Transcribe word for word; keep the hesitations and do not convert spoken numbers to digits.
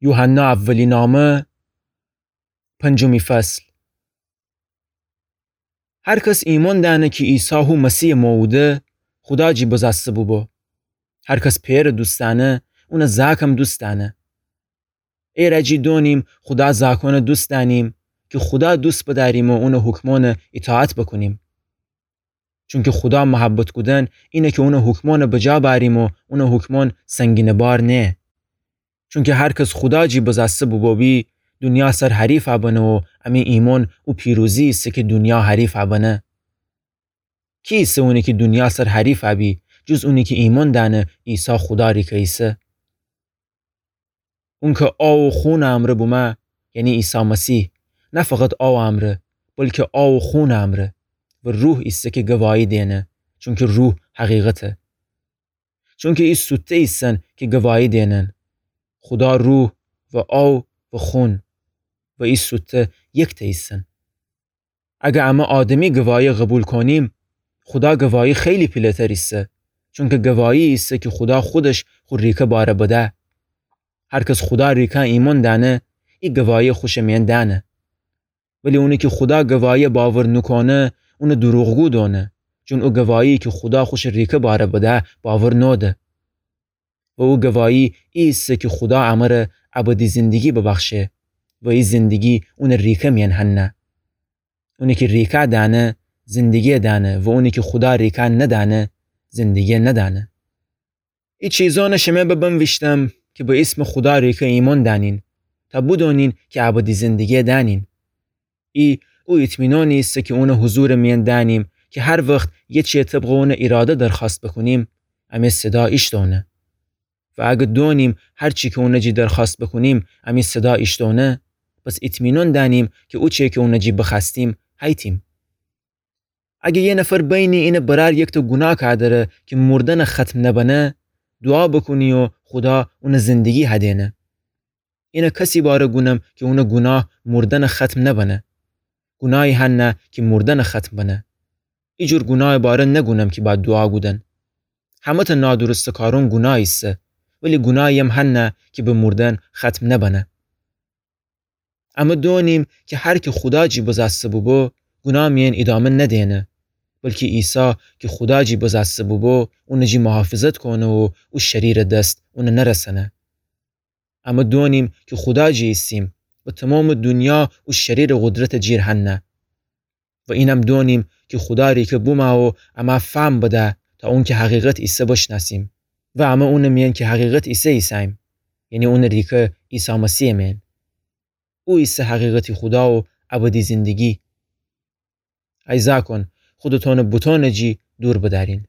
یوحنا اولینامه، پنجمی فصل. هر کس ایمأن دأنه کی عیسی هو مسیحٚ موعوده، خودا جی بزاسته بوبو. هر کس پئرٚ دوست دأنه، اونٚ زأکم دوست دأنه. ایرأ جی دونیم خودا زأکأنٚ دوست دأنیم، کی خودا دوست بدأریم و اونٚ حکمأنٚ ایطاعت بکونیم. چونکی خودا محبت کودن اینه کی اونٚ حکمأنٚ بجا بأریم و اونٚ حکمأن سنگینٚ بار نیه. چونکی هر کس خودا جی بزاسته بوبو بی، دونیا سر حریفأ بنه و امی ایمأن او پیروزی ایسه کی دونیا حریفأ بنه. کی ایسه اونی کی دونیا سر حریفأ بی، جز اونی کی ایمأن دأنه عیسی خودا ریکه ایسه؟ اونکه آو و خونٚ امرأ بومه، یعنی عیسی مسیح، نه فقط آوٚ امرأ، بلکی آو و خونٚ امرأ و روح ایسه کی گواهی دینه، چونکی روح حقیقته. چونکی ای سوته ایسن کی گواهی دینن. خودا روح و آو و خون و ای سوته یکته ایسن. اگر امه آدمی گواهی قوبیل کونیم، خودا گواهی خیلی پیله‌تر ایسه، چونکی گواهی ایسه کی خودا خودش خو ریکه باره بده. هر کس خودا ریکه ایمأن دأنه، ای گواهی خوشٚ میأن دأنه. ولی اونی کی خودا گواهی باور نوکونه، اونٚ دروغگو دونه، چون او گواهی کی خودا خوشٚ ریکه باره بده، باور نوده. و او گواهی ای ایسه کی خودا امره ابدی زندگی ببخشه و ای زندگی اونٚ ریکه میأن هنه. اونی کی ریکه دأنه، زندگی دأنه و اونی کی خودا ریکه ندأنه، زندگی ندأنه. ای چیزأنٚ شمه به بنویشتم کی به ایسمٚ خودا ریکه ایمأن دأنین، تا بدونین کی ابدی زندگی دأنین. ای او اطمینانی ایسه کی اونٚ حضورٚ میأن دأنیم کی هر وخت یه چیه طبقٚ اونٚ ایراده درخوأست بکونیم، امی صدا ایشتأونه. و اگر دونیم هر چی کی اونٚ جی درخوأست بکونیم، امی صدا ایشتأونه، پس اطمینان دأنیم کی او چیه کی اونٚ جی بخوأستیم، هیتیم. اگر یه نفر بینی اینٚ برأر یکته گوناه کودره کی مردنٚ ختم نبنه، دوعا بکونی و خودا اونٚ زندگی هدینه. اینه کسی باره گونم کی اونٚ گوناه مردنٚ ختم نبنه. گوناهی هنه کی مردنٚ ختم بنه. ایجور گوناهٚ باره نگونم کی باید دوعا گودن. همه‌تأ نادرستٚ کارون گوناه ایسه، ولی گوناهیم هنه کی به مردن ختم نبنه. امه دونیم کی هر کی خودا جی بزأسته بوبو، گوناه میأن ایدامه ندینه، بلکی عیسی کی خودا جی بزأسته بوبو، اونٚ جی محافظت کونه و او شریرٚ دس اونٚ نرسنه. امه دونیم کی خودا جی ایسیم و تومامٚ دونیا او شریرٚ قدرتٚ جیر هنه. و اینم دونیم کی خودا ریکه بومه و امه فهم بده تا اون کی حقیقت ایسه بشنأسیم. و امه اونٚ میأن کی حقیقت ایسه ایسه‌ییم، یعنی اونٚ ریکه عیسی مسیحٚ میأن. او ایسه حقیقتی خودا و ابدی زندگی. ای زأکون، خودتونٚ بوتونٚ جی دور بدأرین.